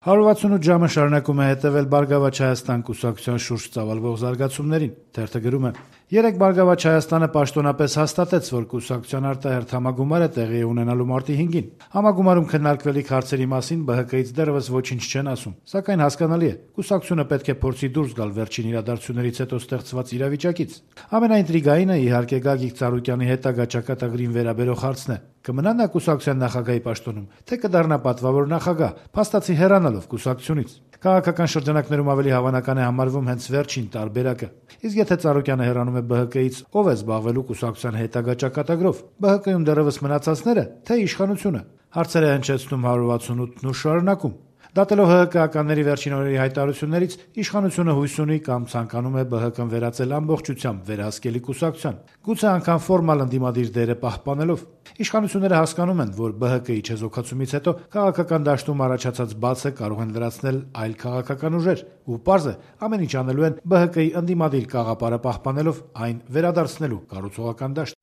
168 ժամը շարունակում է հետևել «Բարգավաճ Հայաստան» կուսակցության շուրջ ծավալվող զարգացումներին: Թերթը գրում է. «Երեկ «Բարգավաճ Հայաստանը» պաշտոնապես հաստատեց, որ կուսակցության արտահերթ համագումար է տեղի ունենալու մարտի 5-ին: Համագումարում քննարկվելիք հարցերի մասին ԲՀԿ-ից դեռեւս ոչինչ չեն ասում: Սակայն հասկանալի է, կուսակցությունը պետք է փորձի դուրս գալ վերջին իրադարձություններից հետո ստեղծված իրավիճակից: Ամենաինտրիգայինը, իհարկե, Գագիկ Ծառուկյանի հետագա ճակատագրին վերաբերող հարցն է. կմնա նա կուսակցության նախագահի պաշտոնում, թե կդառնա պատվավոր նախագահ, փաստացի հեռանալով կուսակցությունից: Քաղաքական շրջանակներում ավելի հավանական է համարվում հենց վերջին տարբերակը: Իսկ եթե Ծառուկյանը հեռանում է ԲՀԿ-ից, ով է զբաղվելու կուսակցության հետագա ճակատագրով: ԲՀԿ-ում դեռեւս մնացածնե՞րը, թե իշխանությունը»: Հարցեր է հնչեցնում 168-ն ու շարունակում. «Դատելով ՀՀԿ-ականների վերջին օրերի հայտարարություններից, իշխանությունը հույս ունի կամ ցանկանում է ԲՀԿ-ն վերածել ամբողջությամբ վերահսկելի կուսակցության, գուցե անգամ ֆորմալ ընդդիմադիր դերը պահպանելով: Իշխանությունները հասկանում են, որ ԲՀԿ-ի չեզոքացումից հետո քաղաքական դաշտում առաջացած բացը կարող են լրացնել այլ քաղաքական ուժեր, ու պարզ է, ամեն ինչ անելու են ԲՀԿ-ի ընդդիմադիր կաղապարը պահպանելով, այն վերադարձնելու կառուցողական դաշտ»: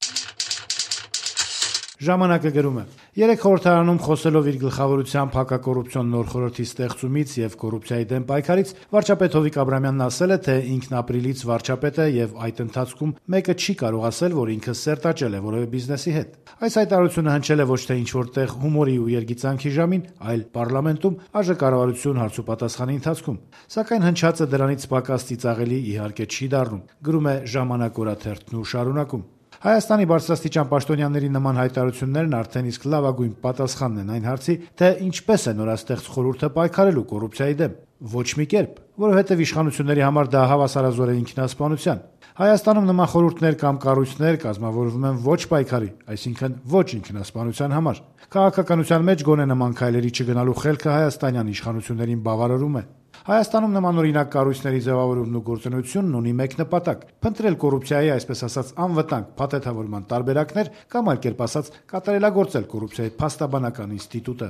«Ժամանակ»-ը գրում է. «Երեկ խորհրդարանում խոսելով իր գլխավորությամբ հակակոռուպցիոն նոր խորհրդի ստեղծումից եւ կոռուպցիայի դեմ պայքարից, վարչապետ Հովիկ Աբրահամյանն ասել է, թե ինքն ապրիլից վարչապետ է եւ այդ ընթացքում մեկը չի կարող ասել, որ ինքը սերտաճել է որեւէ բիզնեսի հետ: Այս հայտարարությունը հնչել է ոչ թե ինչ-որ տեղ հումորի ու երգիծանքի ժամին, այլ պառլամենտում ԱԺ հարցուպատասխանի ընթացքում: Սակայն հնչածը դրանից պակաս ծիծաղելի, իհարկե, չի դառնում», գրում է «Ժամանակ» օրաթերթն ու շարունակում. «Հայաստանի բարձրաստիճան պաշտոնյաների նման հայտարարություններն արդեն իսկ լավագույն պատասխանն են այն հարցի, թե ինչպես է նորաստեղծ խորհուրդը պայքարելու կոռուպցիայի դեմ: Ոչ մի կերպ, որովհետեւ իշխանությունների համար դա հավասարազոր է ինքնասպանության: Հայաստանում նման խորհուրդներ կամ կառույցներ կազմավորվում են ոչ պայքարի, այսինքն ոչ ինքնասպանության համար: Քաղաքականության մեջ գոնե նման քայլերի չգնալու խելքը հայաստանյան իշխանություններին բավարարում է: Հայաստանում նմանօրինակ կառույցների ձեւավորումն ու գործունեությունն ունի մեկ նպատակ՝ փնտրել կոռուպցիայի, այսպես ասած, անվտանգ փաթեթավորման տարբերակներ կամ, այլ կերպ ասած, կատարելագործել կոռուպցիայի փաստաբանական ինստիտուտը»: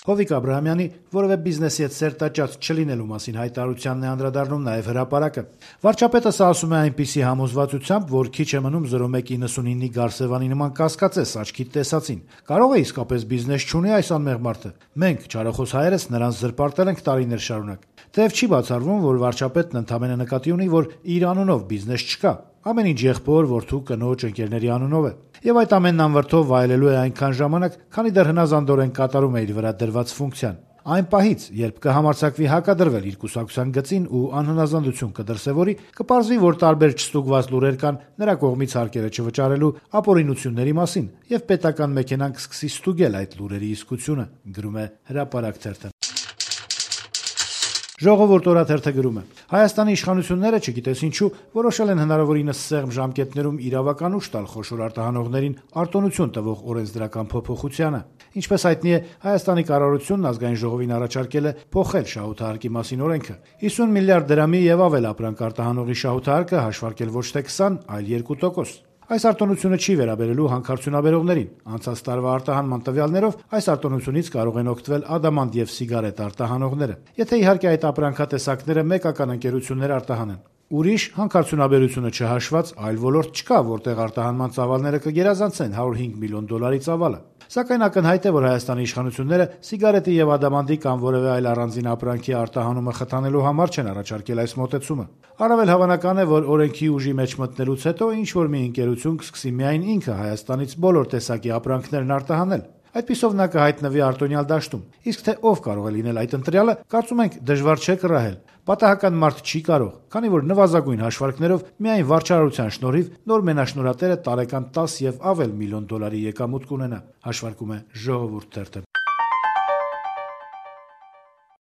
Հովիկ Աբրահամյանի որեւէ բիզնեսի հետ սերտաճած չլինելու մասին հայտարարությանն է անդրադառնում նաեւ «Հրապարակ»-ը. «Վարչապետը սա ասում է այնպիսի համոզվածությամբ, որ քիչ է մնում 0199-ի Գարսեվանի նման կասկածես աչքիդ տեսածին: Կարո՞ղ է իսկապես բիզնես չունի այս անմեղ մարդը: Մենք, չարախոս հայերս, նրանց զրպարտել ենք տարիներ շարունակ: Թեեւ չի բացառվում, որ վարչապետն ընդամենը նկատի ունի, որ իր անունով բիզնես չկա: Ամեն ինչ եղբոր, որդու, կնոջ, ընկերների անունով է: Եվ այդ ամենն անվրդով վայելելու է այնքան ժամանակ, քանի դեռ հնազանդորեն կատարում է իր վրա դրված ֆունկցիան: Այն պահից, երբ կհամարձակվի հակադրվել իր կուսակցության գծին ու անհնազանդություն կդրսեւորի, կպարզվի, որ տարբեր չստուգված լուրեր կան նրա կողմից հարկերը չվճարելու ապօրինությունների մասին, եւ պետական մեքենան կսկսի ստուգել այդ լուրերի իսկությունը», գրում է «Հրապարակ» թերթը: «Ժողովուրդ» օրաթերթը գրում է. «Հայաստանի իշխանությունները, չգիտես ինչու, որոշել են հնարավորինս սեղմ ժամկետներում իրավական ուժ տալ խոշոր արտահանողներին արտոնություն տվող օրենսդրական փոփոխությանը: Ինչպես հայտնի է, Հայաստանի կառավարությունն Ազգային ժողովին առաջարկել է փոխել շահութահարկի մասին օրենքը: 50 միլիարդ դրամի եւ ավել ապրանք արտահանողի շահութահարկը հաշվարկել ոչ թե 20, այլ 2%: Այս արտոնությունը չի վերաբերելու հանքարդյունաբերողներին: Անցած տարվա արտահանման տվյալներով այս արտոնությունից կարող են օգտվել ադամանդ եւ սիգարետ արտահանողները: Եթե իհարկե այդ ապրանքատեսակները մեկական ընկերություններ արտահանեն: Ուրիշ, հանքարդյունաբերությունը չհաշված, այլ ոլորտ չկա, որտեղ արտահանման ծավալները կգերազանցեն $105 միլիոն ծավալը: Սակայն ակնհայտ է, որ Հայաստանի իշխանությունները սիգարետի եւ ադամանդի կամ որեւէ այլ առանձին ապրանքի արտահանումը խթանելու համար չեն առաջարկել այս մոտեցումը: Առավել հավանական է, որ օրենքի ուժի մեջ մտնելուց հետո ինչ-որ մի ընկերություն կսկսի միայն ինքը Հայաստանից բոլոր տեսակի ապրանքներն արտահանել: Այդպիսով նա կհայտնվի արտոնյալ դաշտում: Իսկ թե ով կարող է լինել այդ ընտրյալը, կարծում ենք, դժվար չէ կռահել: Պատահական մարդ չի կարող, քանի որ նվազագույն հաշվարկներով միայն վարչարարության շնորհիվ նոր մենաշնորհատերը տարեկան $10 եւ ավել միլիոն եկամուտ կունենա», հաշվարկում է «Ժողովուրդ» թերթը: